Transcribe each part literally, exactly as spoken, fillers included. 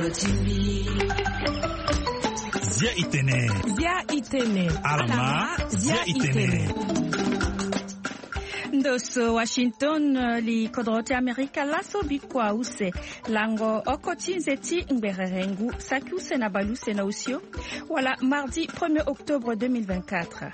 Zia itene. Zia itene. Alama. Zia itene. Ndo so Washington, li kodro ti Amerika laso bikua use. Lango oko ti nze ti ngberere ngu saki use na baleuse na osio. Wala mardi premier octobre deux mille vingt-quatre.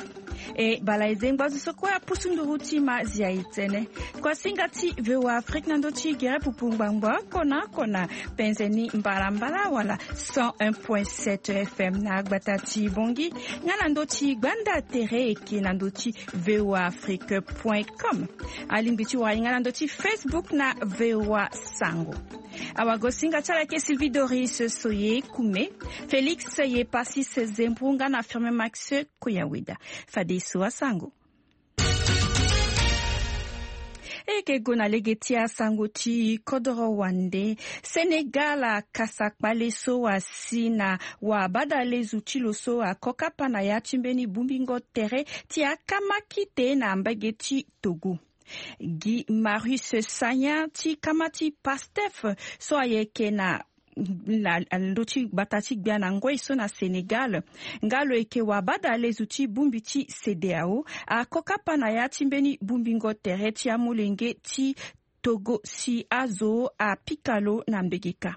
E bala e ze ngbazu so kue apusu nduru ti ma zia itene. Kuasinga ti V O A Afrique na ndö ti gere pupu ngbangbo oko na oko na penze ni mbalambala wala cent un point sept F M na gbata ti Bongi. Nga na ndö ti gbanda tere eke na ndö ti V O A Afrique point com. Alingbi ti wara ye nga na ndö ti Facebook na V O A Sango. Awagosinga ti ala eke Sylvie Doris Soye Kume, Félix Yepasis Zembru nga na Firmin Max Koyaweda. Fadeso asango. E yeke gue na lege ti asango ti kodoro wande. Sénégal akasa kpale so asi na wabadalezu ti lo so ako kapa na ya ti mbeni bongbingo tere ti akamaki te na mbage ti Togo. Guy Marius Sagna ti kama ti Pastef so ayeke na na ndö ti gbata ti gbia na ngoi so na Sénégal nga lo yeke wabadalezu ti bongbi ti CEDEAO ako kapa na ya ti mbeni bongbingo tere ti amolenge ti Togo si azo apika lo na mbegeka.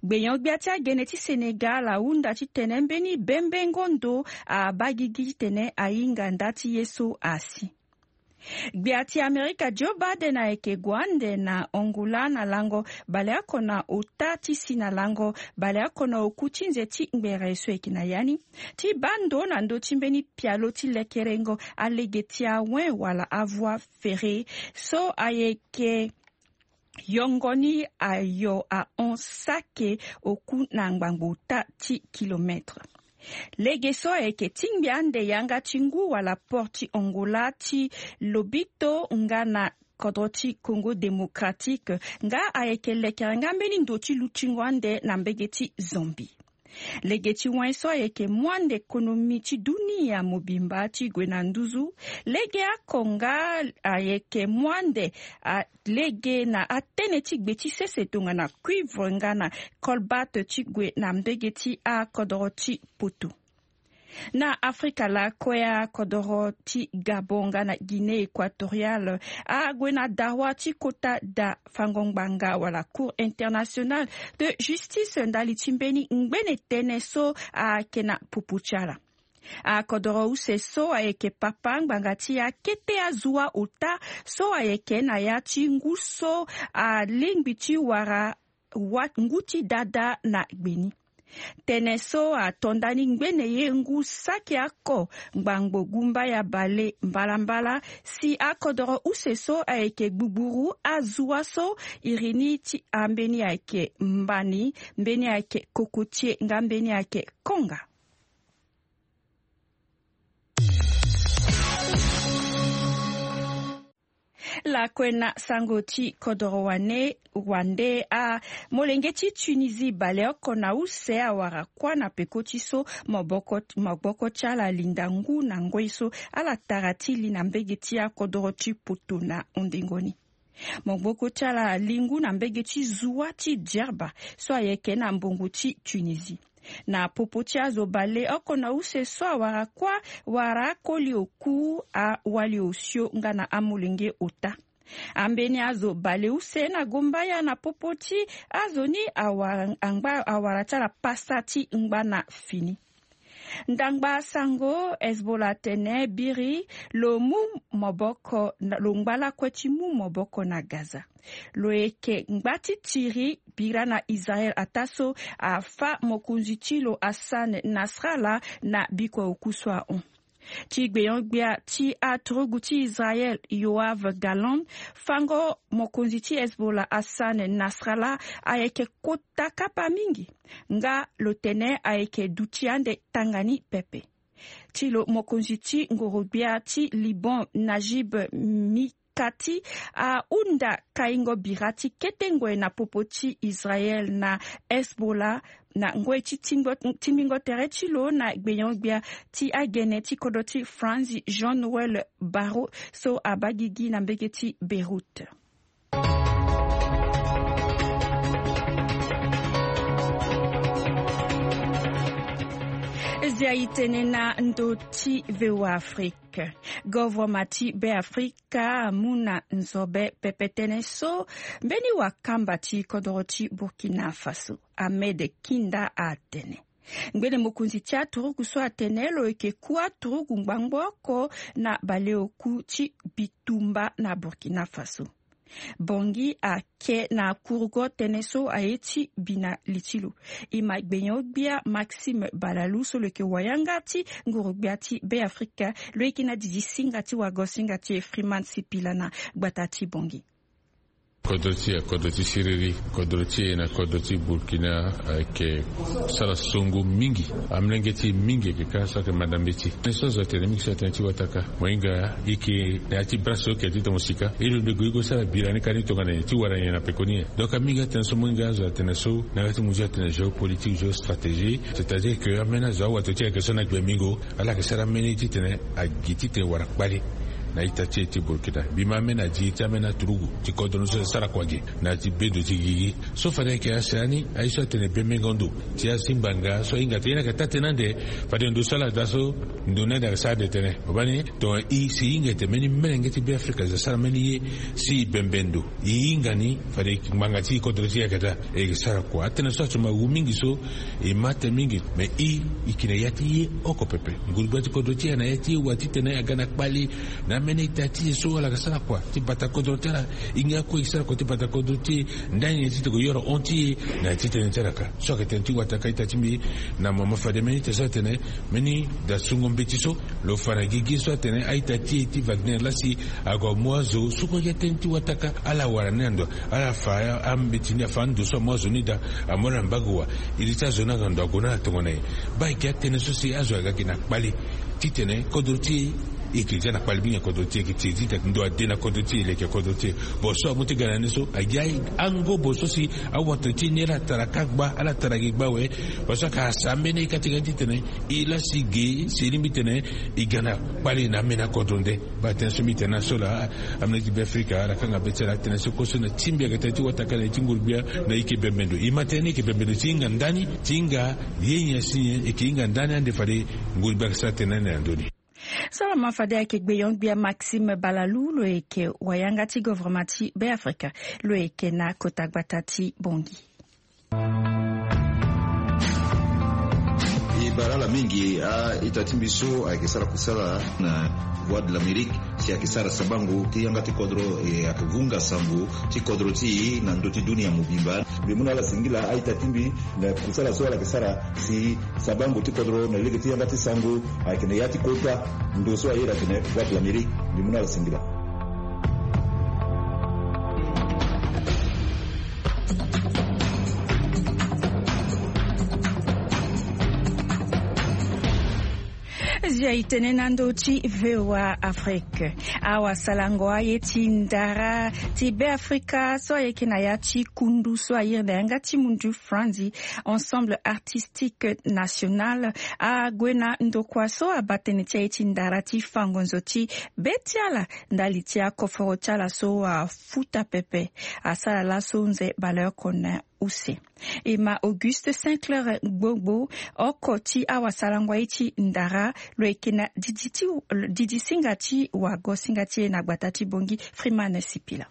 Gbenyo-gbia ti agene ti Sénégal ahunda titene mbeni bembengo ndo abaa gigi titene ahinga nda ti ye so asi. Gbia ti Amerika Joe Biden ayeke gue ande na Angola na lango baleoko na ota ti si na lango baleoko na oku ti nze ti ngbere so ayeke na ya ni ti baa ndo na ndö ti mbeni pialo ti lekerengo alege ti awen wala avoie ferrée so ayeke yongo ni ayo ahon sake oku na ngbangbo ota ti kilomètre. Lege so ayeke tingbi ande yanga ti ngu wala port ti Angola ti Lobito nga na kodro ti Congo Démocratique nga ayeke lekere nga mbeni ndo ti lutingo ande na mbege ti Zambie. Lege ti wen so ayeke mu ande konomi ti dunia mobimba ti gue na nduzu. Lege oko nga ayeke mu ande a lege na atënë ti gbe ti sese tongana cuivre nga na colbate ti gue na mbege ti akodoro ti poto. Na Afrika lakue akodoro ti Gabon nga na Guinée Équatoriale ague na dawa ti kota da fango ngbanga wala Cour internationale de justice ndali ti mbeni ngbene tënë so ayeke na popo ti ala. Akodoro use so ayeke papa ngbanga ti akete azua ota so ayeke na ya ti ngu so alingbi ti wara wa ngu ti dada na gbe ni. Tënë so ato ndani ngbene ye ngu saki oko ngbangbo gumba ya bale mbalambala si akodoro use so ayeke gbugburu azua so iri ni ti ambeni ayeke mbani, mbeni ayeke kokotie nga mbeni ayeke konga. Lakue na sango ti kodoro wane wande a molenge ti Tunisie baleoko na use awara kuâ na peko ti so maboko maboko ti ala linda ngu na ngoi so ala tara ti li na mbege ti akodoro ti poto na ondengo ni. Maboko ti ala li ngu na mbege ti zua ti Djerba so ayeke na mbongo ti Tunisie. Na popo ti azo baleoko na use so awara kuâ wala akoli oku awali osio nga na amolenge ota. Ambeni azo baleuse na gombaya na popo ti azo ni awara angba awara ti ala pasa ti ngba na fini. Ndangba sango Hezbollah atene biri lo mu maboko lo ngba lakue ti mu maboko na Gaza. Lo yeke ngba ti tiri bira na Israel ataa so afâ mokonzi ti lo Hassan Nasrallah na bikua oku so ahon. Ti gbenyo-gbia ti aturugu ti Israel Yoav Gallant, fango mokonzi ti Hezbollah Hassan Nasrallah ayeke kota kapa mingi nga lo tene ayeke duti ande tanga ni pepe. Ti lo mokonzi ti ngoro-gbia ti Liban Najib Mikati ahunda kaingo bira ti kete ngoi na popo ti Israel na Hezbollah na ngoi ti tingbingo tere ti lo na gbenyo-gbia ti agene ti kodro ti Franzi Jean Noël Barrot so abaa gigi na mbege ti Beyrouth. Ndia itene na ndo ti V O A Afrique. Govoroma ti Be Afrika amu na nzobe pepe tënë so mbeni wakamba ti kodoro ti Burkina Faso, Ahmed Kinda, atene ngbene mokonzi ti aturugu so atene lo yeke ku aturugu ngbangbo oko na baleoku ti bitumba na Burkina Faso. Bongi ake na kurugo tënë so aye ti bi na li ti lo. E ma gbenyo-gbia Maxime Balalou so lo yeke wayanga ti nguru-gbia ti Be Afrika, lo yeke na didi singa ti wago singa ti e Freeman Sipila na gbata ti Bongi. Kodro ti e, kodro ti siriri, kodro ti e na kodro ti Burkina ayeke sara songo mingi. Amolenge ti e mingi ayeke kâ so ayeke manda mbeti. Tënë so azo atene mingi so atene ti wataka. Mo hinga e yeke na ya ti bras so oke titene mo sika. E londo e gue e go sara bira ni kani tongana nyen ti wara nyen na pekoni nyen. Donc amingi atene so mo hinga azo atene so na ya ti mo nzoni atene géopolitique, géostratégie. C'est-à-dire que ambeni azo awato ti e ayeke so na gbengbingo. Ala yeke sara ambeni titene agi titene wara kpale na ita ti e ti Burkina. Mbi ma ambeni adi ti ambeni aturugu ti kodro ni so asara kua ge na ya ti bedo ti gigi. So fade ayeke asioni aye so atene bembengo ndo ti azingbanga so ahinga tene e na yeke taa tënë ande. Fade ndo so ala daa so ndo ni ande ayeke sara ande tënë. Mo baa ni tongana e si e hinga ete mbeni melenge ti Be Afrika azo asara mbeni ye si e bembe ndo. E hinga ni fade ngbanga ti e kodro ti e ayeke daa. E yeke sara kua. Atënë so ato ma wu mingi so e ma tënë mingi. Me e e yeke na ya ti ye oko pepe. Nguru-gbia ti kodro ti e na ya ti e wa titene aga na kpale na ambeni ita ti e so ala yeke sara kua ti bata kodro ti ala. E hinga akue e sara kua ti bata kodro ti e ndani nyen titene e yoro hon ti e na ya ti tënë ti ala kâ. So ayeke tënë ti wataka ita ti mbi na mama fade mbeni ita so atene mbeni da sungo mbeti so lo fa na gigi so atene a-ita ti e ti Wagner laa si ague amu azo so kue ayeke tënë ti wataka. Ala wara ni na ndo, ala fa ambeti ni, afa ando so amu azo ni daa, amu ala na mbagu wa. Iri ti azo ni aga ndo ague na ala tongana nyen? Baa ayeke atënë so si azo aga gi na kpale titene kodro ti e e yeke za na kpale mingi na kodro ti e, e yeke ti e titene ndo ade na kodro ti e, e leke kodro ti e. Bon so amu ti ga na ni so agi angobo so si awato ti e ni ala tara kâ gba, ala tara gi gba awe. Parce que asa ambeni ye kâ ti ga ni titene e laa si ge si e lingbi titene e ga na kpale na ambeni akodro nde. Baa tënë so mbi tene na so laa, amolenge ti Be Afrika ala kanga be ti ala atene so kue so na ti mbi ayeke tënë ti wataka na ye ti nguru-gbia na e yeke bembe ndo. E ma tënë ni e yeke bembe ndo ti hinga ndani, ti hinga ye nyen si nyen, e yeke hinga ndani ande fade nguru-gbia ayeke sara tënë ni na ndö ni. So lo ma fade ayeke gbenyo-gbia Maxime Balalou, lo yeke wayanga ti govoroma ti Be Afrika, lo yeke na kota gbata ti Bongi. E bara ala mingi a-ita ti mbi so ayeke sara kusala na Voix de l'Amérique si ayeke sara sabango ti yanga ti kodro, e ayeke vunga sango ti kodro ti e na ndö ti dunia mobimba. Mbi mu na ala singila a-ita ti mbi na kusala so ala yeke sara si sabango ti kodro na lege ti yanga ti sango ayeke na ya ti kota ndo so ayeda atene Voix de l'Amérique. Mbi mu na ala singila. Zia e tene na ndö ti V O A Afrique. Awasalango aye ti ndara ti Be Afrika so ayeke na ya ti kundu so airi na yanga ti mundu franzi, Ensemble Artistique National, ague na ndokua so abaa tënë ti aye ti ndara ti fango nzo ti be ti ala ndali ti akoforo ti ala so afuta pepe. Asara laso nze Baleoko Konen use. E ma Auguste Saint-Clair Gbogbo, oko ti awasalango aye ti ndara, lo yeke na didi ti, didi singa ti wago singa ti e na gbata ti Bongi, Freeman Sipila.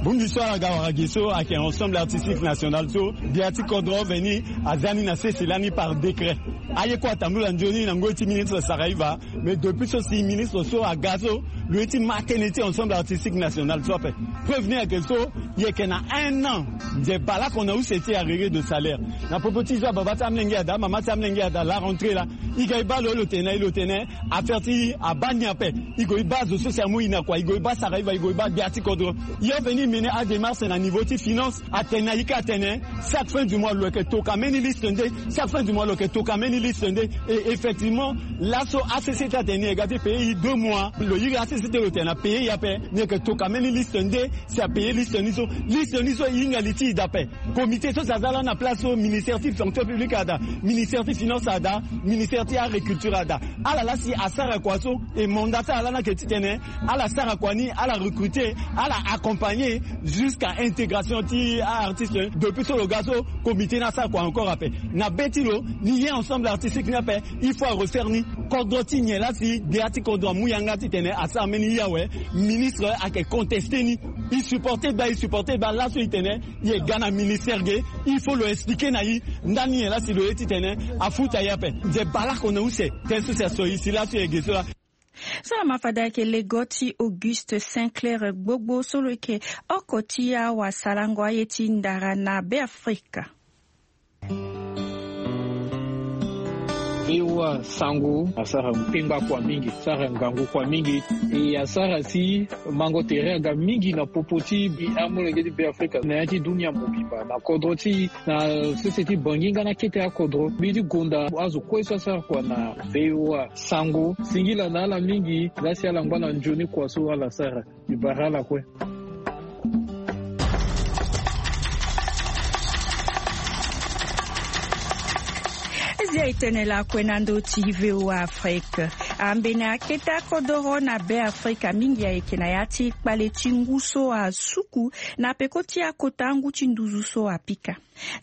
Bongbi so ala ga wara gi so ayeke Ensemble Artistique National so, gbia ti kodro veni aza ni na sese lani par décret. Aye kue atambula nzoni na ngoi ti ministre Saraiva, mais depuis so si ministre so aga so, lo ye ti ma tënë ti Ensemble Artistique National so ape. Preuve ni ayeke so, e yeke na un an. Nze baleoko na use ti arrerer de salaire. Na popo ti zo ababa ti amolenge ada, amama ti amolenge ada, la rentrée laa, e ga e baa lo, lo tene na e, lo tene affaire ti abaa ni ape. E gue e baa zo so si amu e na kua, e gue e baa Saraiva, e gue e baa gbia ti kodro. E avenir e mene adémarche na niveau ti finance, atene na e kâ atene chaque fin du mois lo yeke toka mbeni liste nde, chaque fin du mois lo yeke toka mbeni liste nde. Et effectivement, laso A C C ti atene ni e ga ti payer e deux mois. Lo iri A C C Si te lo tene na pays ape, ni yeke toka mbeni liste nde si apayer liste ni so. Liste ni so e hinga li ti e daa ape. Comité so si aza lani na place so, ministère ti fonction publique ada, ministère ti finance ada, ministère ti agriculture ada. Ala laa si asara kua so, e mandat ti ala lani ayeke titene ala sara kua ni, ala recruter, ala accompagner jusqu'à intégration ti a-artiste. Depuis so lo ga so, comité ni asara kua encore ape. Na be ti lo, ni ye ensemble artistique ni ape, il faut arefaire ni. Kodro ti nyen laa si gbia ti kodro amu yanga titene asara mbeni ye awe? Ministre ayeke contester ni. E supporter baa, e supporter baa. Laso e tene e ga na ministère ge, il faut lo expliquer na e ndani nyen laa si lo ye titene afuta e ape. Nze baleoko na use tënë so si aso e si laso e ge so laa. So lama fade ayeke lego ti Auguste Sinclair Gbogbo so lo yeke oko ti awasarango aye ti ndara na Beafrika. V O A Sango asara pengba kua mingi, asara ngangu kua mingi. E asara si mango tere aga mingi na popo ti amolenge ti Beafrika na ya ti dunia mobimba, na kodro ti, na sese ti Bangi nga na kete akodro. Mbi ti gonda azo kue so asara kua na V O A Sango, singila na ala mingi laa si ala ngba na nzoni kua so ala sara. Mbi bara ala kue. Zia e tene lakue na ndö ti V O A Afrique. Ambeni akete akodoro na Beafrika mingi ayeke na ya ti kpale ti ngu so asuku na peko ti akota ngu ti nduzu so apika.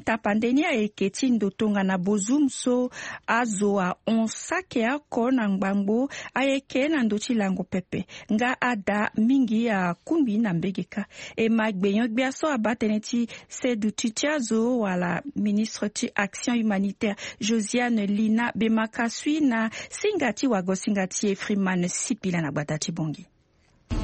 Tapande ni ayeke ti ndo tongana bozum so azo ahon saki oko na ngbangbo ayeke na ndö ti lango pepe. Nga ada mingi akungbi na mbege kâ. E ma gbenyo-gbia so abaa tënë ti seduti ti azo wala ministre ti action humanitaire Josiane Lina Bemakasui na singa ti wago singa ti e Freeman Sipila na gbata ti Bongi.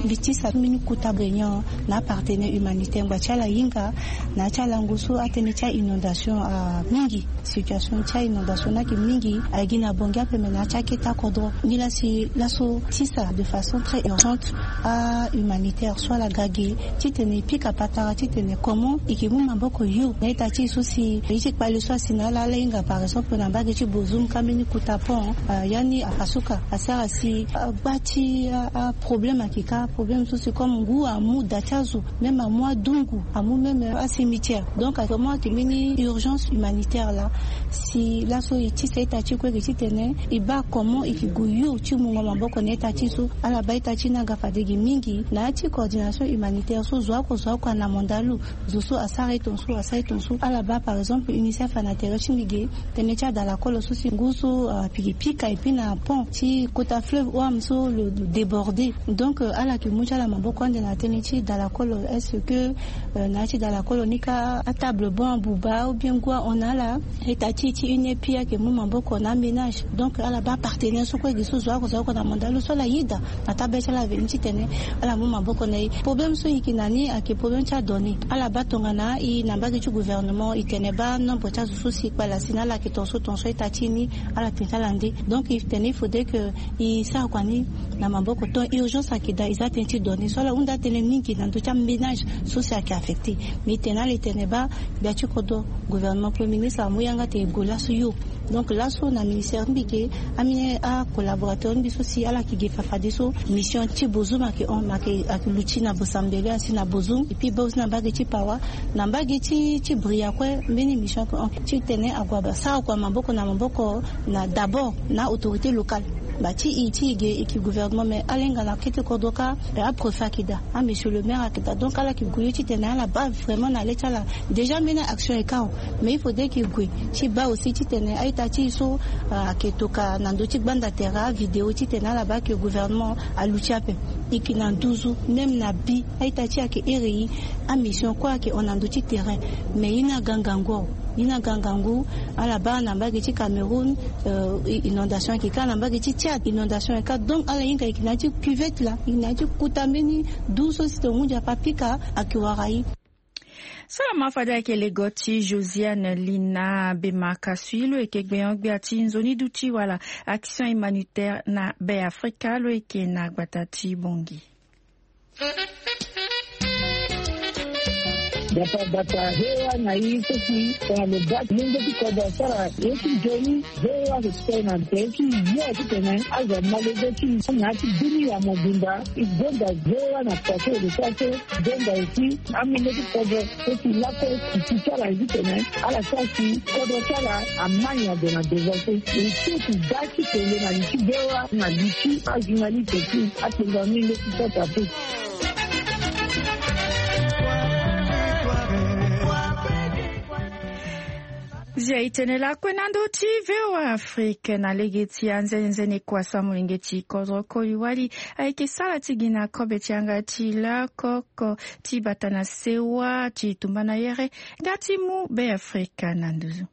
Mbi tisa mbeni kota gbenyo na apartenaire humanitaire ngba ti ala hinga na ya ti alango so atënë ti a-inondation amingi. Situation ti a-inondation ni ayeke mingi, ayeke gi na Bongi ape me na ya ti akete akodro. Nilaa si laso tisa de façon très urgente a-humanitaire so ala ga ge titene e pika patara titene comment e yeke mu maboko yo na ita ti e so si ye ti kpale so asi na ala, ala hinga par exemple na mbage ti bozum ka mbeni kota pont, ya ni apasuka asara si agba ti aproblème ayeke ka, problème so si comme ngu amu da ti azo, même amu adungu, amu même acimetière. Donc vraiment ayeke mbeni urgence humanitaire laa. Si laso e tisa ita ti e kue ge titene e baa comment e yeke gue yo ti mungo maboko na ita ti e so. Ala baa ita ti e ni aga fade ge mingi na ya ti coordination humanitaire so zo oko zo oko ana mandat lo. Zo so asara e tongaso, asara e tongaso. Ala baa par exemple UNICEF ana tere ti mbi ge tënë ti adalakolo so si ngu so apikipika et puis na pont ti kota fleuve Ouham so lo débordé. Donc ala yeke mu ti ala maboko ande na tënë ti dalakolo. Est-ce que na ya ti dalakolo ni ka atable bon abuba ou bien ngu ahon na ala? Ita ti e ti UNEPI ayeke mu maboko na aménage. Donc ala baa apartenaire so kue ge so zo oko zo oko na mandat lo so ala yeda na tabê ti ala veni titene ala mu maboko na e. Problème so e yeke na ni ayeke problème ti adonnée. Ala baa tongana e na mbage ti gouvernement e tene baa nombre ti azo so si e kpale asi na ala ayeke tongaso tongaso, ita ti e ni ala tene ti ala nde. Donc e tene il faudrait que e sara kua ni na maboko. Ton urgence ayeke daa, e za tënë ti donnée so ala hunda tënë mingi na ndö ti aménage so si ayeke affecté. Mais e tene na ala e tene baa gbia ti kodro, gouvernement, premier ministre amu yanga atene e gue laso yo. Donc laso na ministère ti mbi ge, ambeni acollaborateur ti mbi so si ala yeke ge fafadeso, mission ti bozum ayeke hon, ma ayeke luti na bosambele asi na bozum. Et puis e baa aussi na mbage ti pawa, na mbage ti ti bria kue mbeni mission ayeke hon titene ague asara kua maboko na maboko na d'abord na autorité locale. Ba ti e ti e ge e yeke gouvernement mais ala hinga na kete kodro kâ, aprefe ayeke daa, amesure le maire ayeke daa. Donc ala yeke gue yo titene ala baa vraiment na le ti ala. Déjà mbeni action e ka awe. Mais il faudrait que e gue ti baa aussi titene a-ita ti e so ayeke toka na ndö ti gbanda tere avidéo titene ala baa que gouvernement aluti ape. E yeke na nduzu même na bi a-ita ti e ayeke here e. Amission kue ayeke hon na ndö ti terrain. Mais ye ni aga ngangu awe. Ye ni aga ngangu. Ala baa na mbage ti Cameroun, inondation ayeke ka, na mbage ti Tchad inondation ayeke ka. Donc ala hinga e yeke na ya ti cuvette laa, e yeke na ya ti kota mbeni du so si tongana hunzi ape apika ayeke wara e. So lama fade ayeke lego ti Josiane Lina Bemakasui lo yeke gbenyo-gbia ti nzoni duti wala action humanitaire na Beafrika lo yeke na gbata ti Bongi. Bata bata hewa na i so si tongana lo baa ti lenge ti kodro asara ye ti nzoni. Hewa so ti tene na nze ti ye titene azo amolenge ti na ya ti bini ya mobimba. E gonda hewa na poto ode so aso gonda aussi amolenge ti kodro so si lakue ti ti ti ala ye titene ala sara si kodro ti ala ama nyen ague na devant so. E so ti ga ti tene na li ti hewa na li ti ajournaliste ti apenga mingi ti sota pe. Zia e tene lakue na ndö ti V O A Afrique na lege ti anzenenzene kua so amolenge ti kodro koli wali ayeke sara ti gi na kobe ti yanga ti lakoko ti bata na sewa ti tumba na yere nga ti mu Be Afrika na nduzu.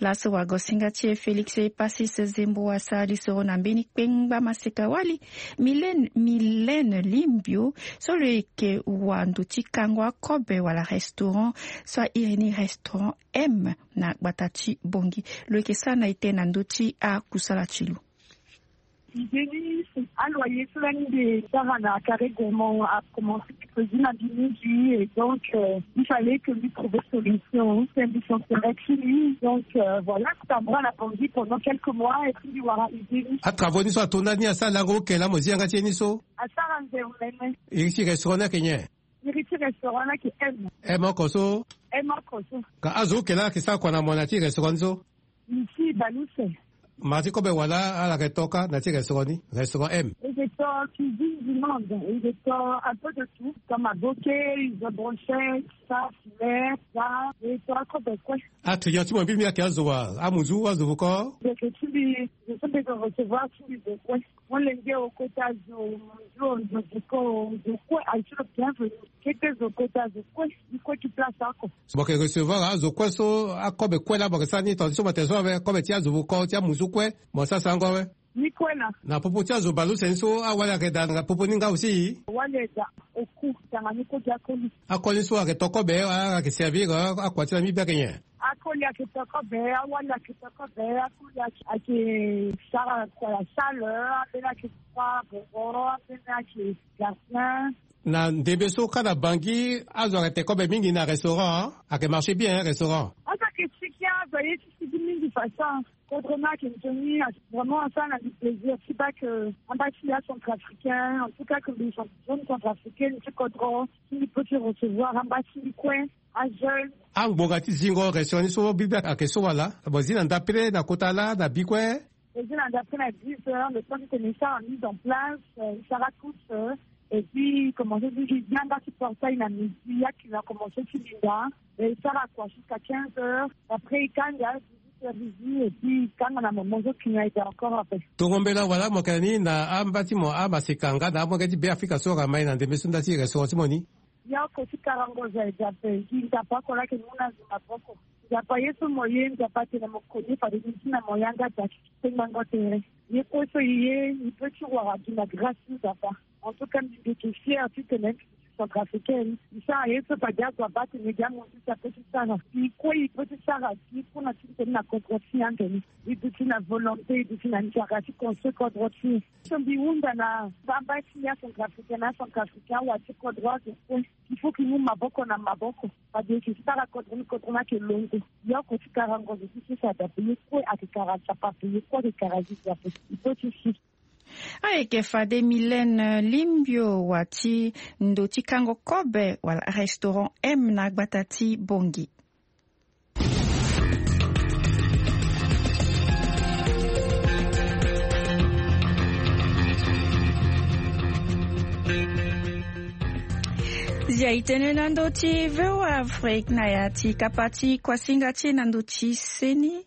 Laso wagosinga ti e Félix Epasis Zembo asara lisoro na mbeni kpengba maseka wali Mylène, Mylène Limbio so lo yeke wa ndo ti kango akobe wala restaurant so a iri ni restaurant M na gbata ti Bangui. Lo yeke sara na ete na ndö ti akusala ti lo. Idée ni, aloyer cela ni de sara na carré gourmand a commencé de cuisine à Bimidi et donc euh, il fallait que lui trouver solution. C'est un bouchon correct chez lui. Donc euh, voilà, c'est un bras à la Bangui pendant quelques mois et puis voilà, idée ni. Atravo ni so atonda ni asara lango oke la mo zi yanga ti e ni so. Asara nze omene. Iri ti restaurant ni ayeke nyen? Iri ti restaurant ni ayeke M. M oko so. M oko so. Ka azo oke la ayeke sara kua na mo na ti restaurant ni so? Ici Baluse. Mara ti kobe wala ala yeke to kâ na ti restaurant ni, restaurant M? E yeke to cuisine du monde, e yeke to un peu de tout, comme aboke, izo brochette, ça, filet, ça, e to akobe kue. Aclient ti mo mbi mbi ayeke azo wa, amuzu, azo voko? Ndeke ti mbi, zo so mbi yeke recevoir ti mbi zo kue. Molenge o kota zo, zo, zo, zo ko, zo kue aye ti lo bienvenu. Kete zo kota zo kue, ni kue ti place oko. Mo yeke recevoir azo kue so, akobe kue la mo yeke sara ni tonga ti so mo tene so awe, kobe ti azo voko ti amuzu kue mo sara sango awe. Ni kue la. Na popo ti azo baleuse ni so awali ayeke daa na popo ni nga aussi? Awali ayeke daa oku tanga ni kue gi akoli. Akoli ni so ayeke to kobe, ayeke servir akua ti na mbi be ayeke nyen? Akoli ayeke to kobe, awali ayeke to kobe, akoli ayeke, ayeke sara kua ya salle, ambeni ayeke kua boro, ambeni ayeke gardien. Na ndembe so kâ na Bangui azo ayeke te kobe mingi na restaurant, ayeke marché bien restaurant? Azo ayeke sigi, azo aye ti sigi mingi façon. Kodro ni ayeke nzoni, vraiment asara na mbi plaisir ti baa ke amba ti mbi acentrafricain, en tout cas ke mbi jeune centrafricaine ti kodro, si mbi peut ti recevoir amba ti mbi kue. Ajeune. Angbonga ti zingo restaurant ni so mbi be ayeke so wala? Mo zi na ndapre na kota laa na bi kue? Mo zi na ndapre na dix heures, le temps ti tene e sara mise en place, euh, e sara tous, euh, et puis e commencé ti gi yanga ti portail na midi, akili akomense ti linda, e sara kua jusqu'à quinze heures, après e kanga dix-huit heures midi, et puis e kanga na moment so kili aye daa encore après. Tongo mbela wala mo yeke na ni na amba ti mo amaseka nga na amolenge ti Be Afrika so ayeke mai na ndembe so nda ti restaurant ti mo ni? Ya oko ti karango zo aye daa ape, gi Nzapa oko laa ayeke mu na zo maboko. Nzapa ye so mo ye, Nzapa atene mo koni fade ni ti na mo yanga daa ti kpengbango tere. Ye kue so e ye, e peut ti wara gi na grâce ti Nzapa. En tout cas mbi yeke fier titene mbi centrafricaine, mbi sara ye so fade azo abaa atene gi amonzi si apeut ti sara. Mbi kue e peut ti sara gi kue na ti tene na kodro ti e ande ni. E duti na volonté, e duti na nzara ti construire kodro ti e. So mbi hunda na amba ti acentrafricain na acentrafricain awa ti kodro azo kue. Il faut que e mu maboko na maboko. Fade e yeke sara kodro ni, kodro ni ayeke longo. Ya oko ti karango zo ti so si adape ye kue ayeke kara Nzapa ape, ye kue ayeke kara Jésus ape. E peut ti si. Ayeke fade Mylène Limbio wa ti ndo ti kango kobe wala restaurant M na gbata ti Bangui. Zia e tene na ndö ti V O A Afrique na ya ti kapa ti kuasinga ti e na ndö ti seni.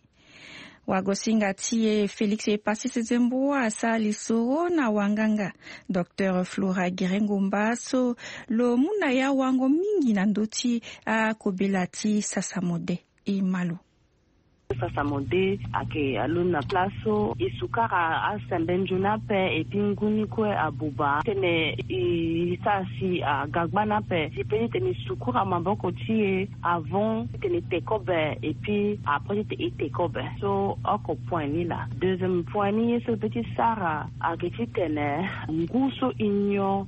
Wagosinga ti e Félix Epasis Zembo asara lisoro na wanganga Docteur Flora Girengomba so lo mu na ya wango mingi na ndö ti akobela ti sasa mode. E ma lo. Sasa mo de ayeke alondo na place so e sukara asembe nzoni ape, et puis ngu ni kue abuba titene e sara si aga gbani ape. Si pe titene e sukura maboko ti e avant titene e te kobe, et puis après titene e te kobe. So oko point ni laa. Deuxième point ni ye so e pe ti sara ayeke titene ngu so e nyon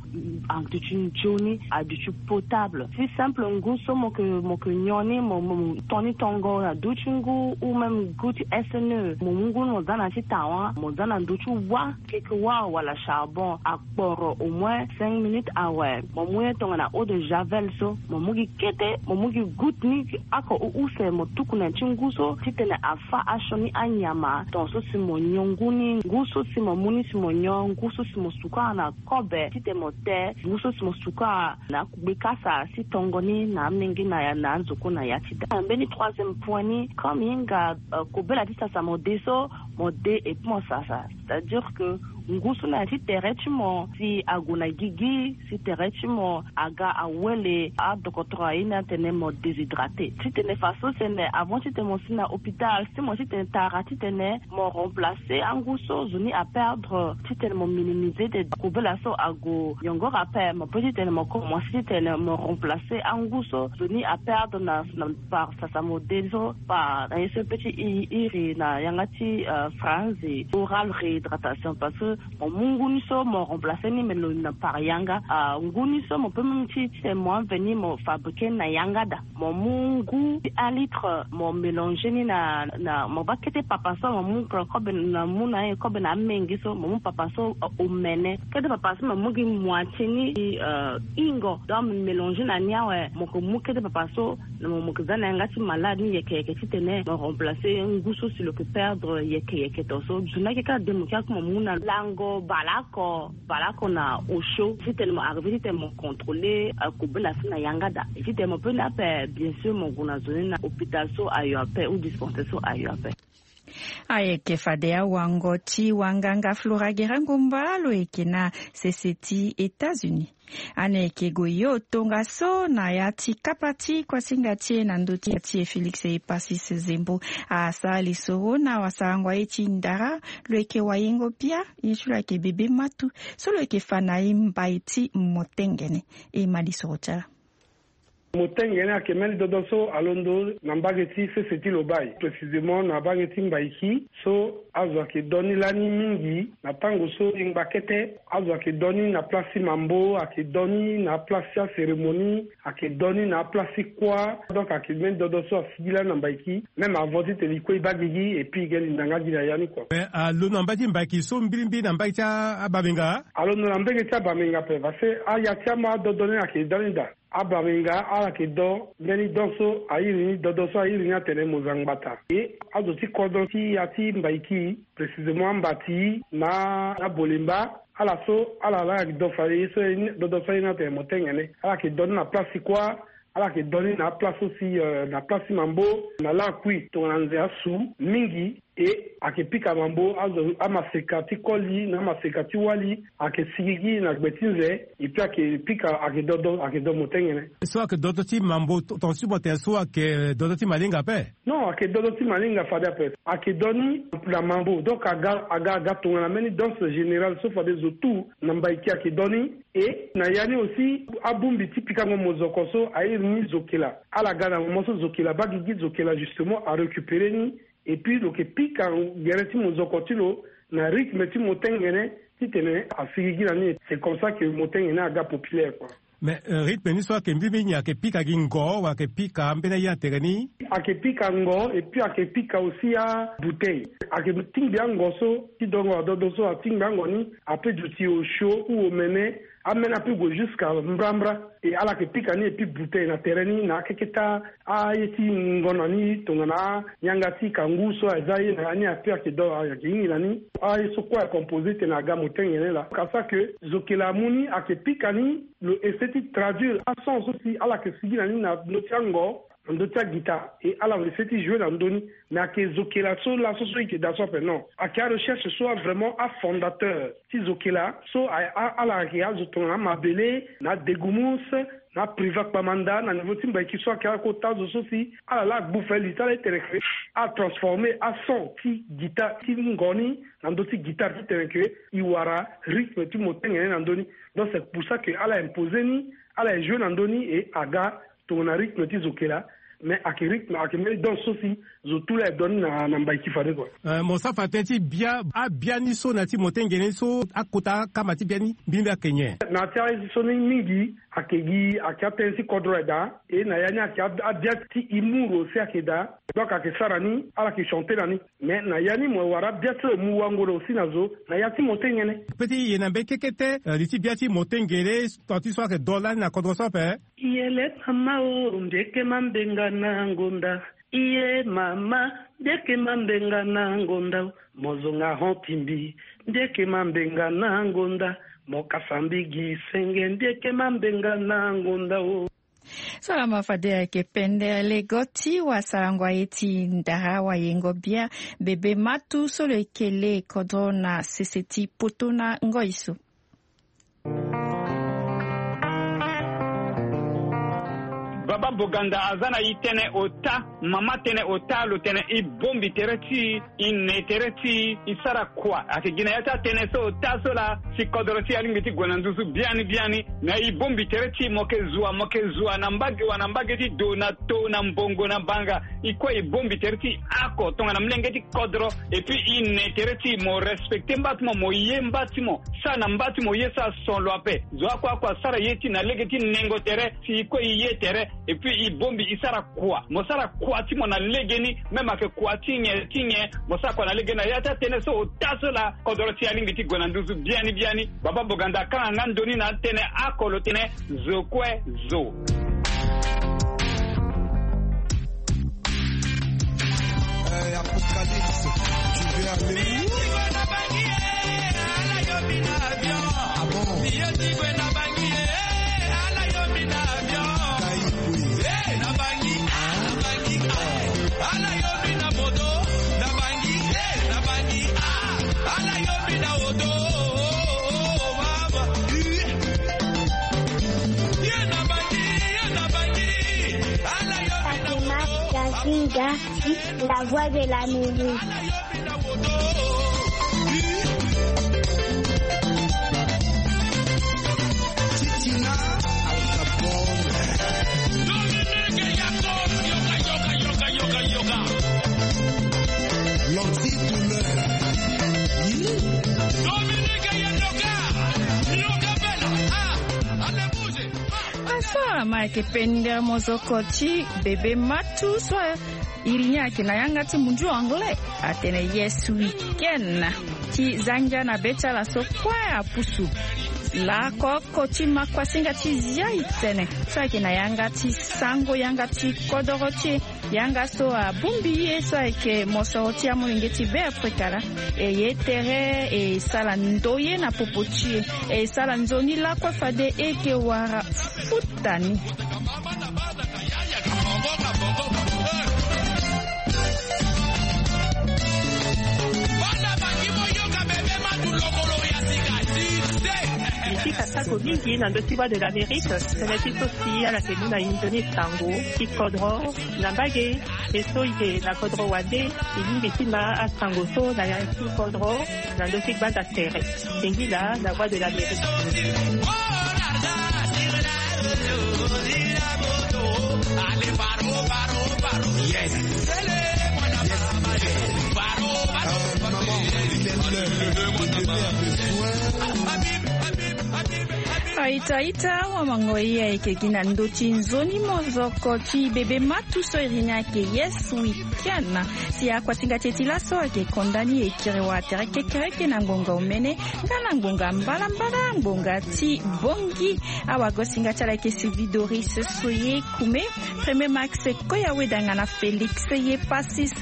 aduti nzoni, aduti potable. Si simple ngu so mo yeke, mo yeke nyon ni, mo, mo ton ni tongo na duti ngu, ou même ngu ti S N E, mo mu ngu ni mo za na ti tawa, mo za na ndö ti wa, keke wa wala charbon, akporo au moins cinq minutes awe. Mo mu ye tongana eau de javel so, mo mu gi kete, mo mu gi goutte ni, oko u- use mo tuku na ti ngu so titene afa asioni anyama. Tongaso si mo nyon ngu ni, ngu so si mo mu ni si mo nyon, ngu so si mo sukara na kobe titene mo te, ngu so si mo sukara na akugbe kasa si tongo ni na amenge na ya, na anzoko na ya ti da. Mbeni troisième point ni, comme e hinga, euh, kobela ti sasa mo de so, mo de et puis mo sasa. C'est-à-dire que ngu so na ya ti tere ti mo si ague na gigi, si tere ti mo aga awele adokotoro aye ni atene mo déshydraté. Titene faso sene avant titene mo si na hôpital, si mo titene tara titene mo remplacer angu so zo ni aperdre, titene mo minimiser de kobela so ague yongoro ape, mo pe titene mo commencer titene mo remplacer angu so zo ni aperdre na, na par sasa mo de so, par na ye so e pe ti i- iri na yanga ti, euh, France, oral réhydratation, parce que mo mu ngu ni so mo remplacer ni, mais lo na par yanga, ah, ngu ni so mo pe même ti titene mo anveni mo fabriquer na yanga da. Mo mu ngu ti un litre, mo mélanger ni na, na mo baa kete papa so, mo mu kobe na, mu na ye kobe na amenge so, mo mu papa so, euh, omene. Kete papa so mo mu gi moitié ni, euh, hingo. Donc mo mélanger na ni awe, mo yeke mu kete papa so, na mo, mo yeke za na yanga ti malade ni yeke yeke titene mo remplacer ngu so si lo yeke perdre yeke yeke. Tongaso zo ni ayeke kâ de mo kia kue mo mu na lango baleoko, baleoko na osio titene mo arriver titene mo contrôler, euh, kobela so na yanga da. Et titene mo pe ni ape, bien sûr mo gue na zo ni na hôpital so ayo ape ou dispensaire so ayo ape. Ayeke fade awango ti wanganga Flora Guerra Ngomba lo yeke na sese ti États-Unis. Ane yeke gue yo tongaso na ya ti kapa ti kuasinga ti e na ndö ti ya ti e Félix Epasis Zembo. Asara lisoro na wasarango aye ti ndara, lo yeke wayengo bia, ye ti lo ayeke bebe matu. So lo yeke fa na e mbai ti motengene. E ma lisoro ti ala. Motengene ayeke mbeni dodo so alondo na mbage ti sese ti Lobaye, précisément na mbage ti Mbaiki. So azo ayeke do ni lani mingi na tango so e ngba kete. Azo ayeke do ni na place ti mambo, ayeke do ni na place ti acérémonie, ayeke do ni na place ti kuâ. Donc ayeke mbeni dodo so asigi lani na Mbaiki. Même avant titene e kue e baa gigi, et puis e ge linda nga gi na ya ni kua. Mais alondo na mbage ti Mbaiki so mbirimbiri na mbage ti a- abamenga? Alondo na mbage ti abamenga ape, parce que aya ti ama adodo ni ayeke da ni daa. Abamenga ala yeke do mbeni do so a iri ni, dodo so a iri ni atene Mozangbata. E azo ti kodro ti ya ti Mbaiki, précisément Ambati na Abolemba, ala so ala laa ayeke do fade ye so, dodo so a iri ni atene Motengene. Ala yeke do ni na place ti kuâ, ala yeke do ni na aplace so si, euh, na place ti mambo, na lakui tongana nze asu mingi. E ayeke pika mambo, azo amaseka ti koli na amaseka ti wali ayeke sigigi na gbe ti nze. Et puis ayeke pika, ayeke dodo, ayeke do motengene. So ayeke dodo ti mambo, ton- tongaso mo tene so ayeke dodo ti malinga ape? Non, ayeke dodo ti malinga fade ape. Ayeke do ni na mambo, donc aga, aga, aga tongana mbeni danse générale so fade zo tout na Mbaiki ayeke do ni. E na ya ni aussi, abongbi ti pikango mozoko so a iri ni zokela. Ala ga na moment so zokela baa gigi, zokela justement arécupérer ni. Et puis lo yeke pika gere ti mozoko ti lo na rythme ti motengene titene asigigi na ni. C'est comme ça que motengene aga populaire, quoi. Mais, euh, rythme ni so ayeke mbirimbiri nyen? Ayeke pika gi ngo wala ayeke pika ambeni aye na tere ni? Ayeke pika ngo et puis ayeke pika aussi abouteille. Ayeke tingbi ango so ti dongo adodo so atingbi ango ni, ape duti osio ou omene, ameni ape gue jusqu'à mbrambra. E ala yeke pika ni et puis bouteille na tere ni na akeketa aye ti ngonda ni tongana yanga ti kangu so aza ye na ya ni ape ayeke do ayeke hingi na ni. Aye so kue acomposé tene aga motengene laa. Ka ça que zokela amu ni ayeke pika ni, lo essayer ti traduire ason so si ala yeke sigi na ni na ndö ti ango. na ndö ti aguitare. E ala ngbese ti jouer na ndö ni. Mais ayeke zokela so laso so e yeke daa so ape, non. Ayeke arecherche so avraimont afondateur ti zokela so ala ayeke azo tongana amabele na adegumus na apriva kpamanda na niveau ti mbaiki so ayeke akota zo so si ala laa agbu fali ti ala ti tene ke atransformer ason ti guitare ti ngo ni na ndö ti guitare ti tene ke e wara rythme ti motengene na ndö ni. Donc c'est pour ça ke ala imposer ni, ala e jouer na ndö ni e aga tongana rythme ti zokela. Mais ayeke rythme, ayeke mbeni danse so si zo tu laa e don ni na mbaiki fade kua. Mo sara fa tënë ti bia abiani so na ya ti motengene ni so akota akama ti biani mbirimbiri ayeke nyen? Na ya ti aye so ni mingi ayeke gi ayeke atënë ti kodro aye daa. E na ya ni ayeke abia ti humour aussi ayeke daa. Donc ayeke sara ni ala yeke chanter na ni. Mais na ya ni mo wara bia ti lo mu wangoro aussi na zo na ya ti motengene. Pe ti ye na mbeni kekete li ti bia ti motengene, tant ti so ayeke do lani na kodro so ape. Yele mama o, mbieke mambenga na ngonda. Iye mama, mbieke mambenga na ngonda o. Mo zonga hon ti mbi, mbieke mambenga na ngonda. Mo kasa mbi gi senge, mbieke mambenga na ngonda o. Salama fade ayeke pende lego ti wasarango aye ti ndara wayengo bia bebe matu so lo yeke le kodro na sese ti poto na ngoi so. Baba Boganda aza na e tënë ota, mama tënë ota, lo tene e bombi tere ti e, e ne tere ti e, e sara kua. Ayeke gi na ya ti atënë so ota so laa si kodro ti e alingbi ti gue na nduzu biani biani. Na e bombi tere ti e, mo yeke zua, mo yeke zua na mbage wa na mbage ti do na to na mbongo na banga. E kue e bombi tere ti e oko tongana molenge ti kodro. Et puis e ne tere ti e, mo respecter mba ti mo, mo ye mba ti mo. Sara na mba ti mo ye so ason lo ape. Zo oko oko asara ye ti e na lege ti nengo tere, si e kue e ye tere. Et puis e bombi e sara kua. Mo sara kua ti mo na legeni, même ayeke kua ti nyen ti nyen, mo sara kua na legeni na ya ti atënë so ota so laa kodro ti e alingbi ti gue na nduzu biani biani. Baba Boganda akanga nga ndo ni na atënë oko lo tene zo kue zo. Euh, Apocalypse, tu veux aller où? Ah bon? Fatima Gazinga, la voix de l'Amérique. Asara ma ayeke pende mozoko ti bebe matu so. Iri ni ayeke na yanga ti mundu anglais, atene yes we can. Ti zangia na be ti ala so kue apusu. Laoko oko ti makuasinga ti zia e tene so ayeke na yanga ti sango yanga ti kodoro ti e. Yanga so abongbi ye so ayeke mosoro ti amolenge ti Beafrika laa. E ye tere e sara ndoye na popo ti e. E sara nzoni lakue fade e yeke wara futa ni. Mbi ti kasako mingi na ndö ti Voix de l'Amérique, tënë ti so si ala yeke mu na e nzoni sango ti kodro na mbage. E so e yeke na kodro wande, e lingbi ti ma asango so na ya ti kodro na ndö ti gbanda tere. Singila na Voix de l'Amérique. Yes. Yes. Euh, maman, il est l'heure de donner un peu soin. Aita aita wa mango ye ayeke gi na ndö ti nzoni mozoko ti bebe matu so iri ni ayeke yes we can. Si akuasinga ti e ti laso ayeke konda ni e kiri wa tere kekereke na ngbonga omene nga na ngbonga mbalambala ngbonga ti bongi. Awagosinga ti ala ayeke Sylvie Doris Soye Kume, Premier Max Koya Weda nga na Félix Yepasis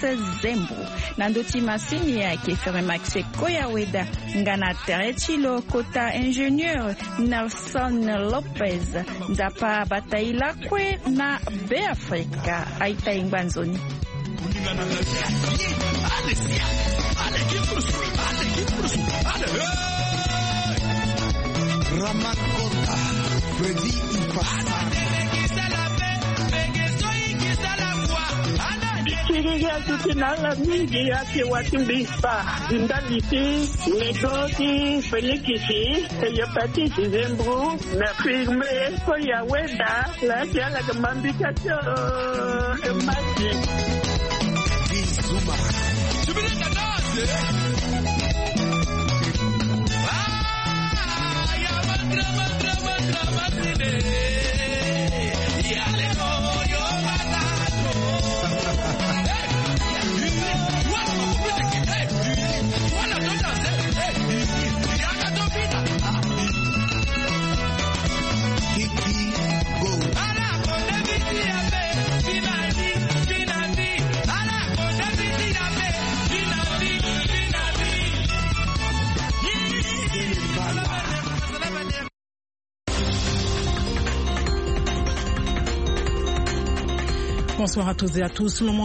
Zembo. Na ndö ti masini ayeke Premier Max Koya Weda nga na tere ti lo kota ingénieur Nelson Son Lopez, Nzapa abata e lakue na Beafrika. Aita e ngba nzoni. Ramakota, Freddy Ipasa. Bikiriri azuti na ala mingi ake wati mbi spa. Ndali ti Nego ti Felix, Hepatite, Zembro, na firme, ko ya weda, la ti ala ga mambika tio, e mati. Bizuma. Bonsoir à tous et à tous.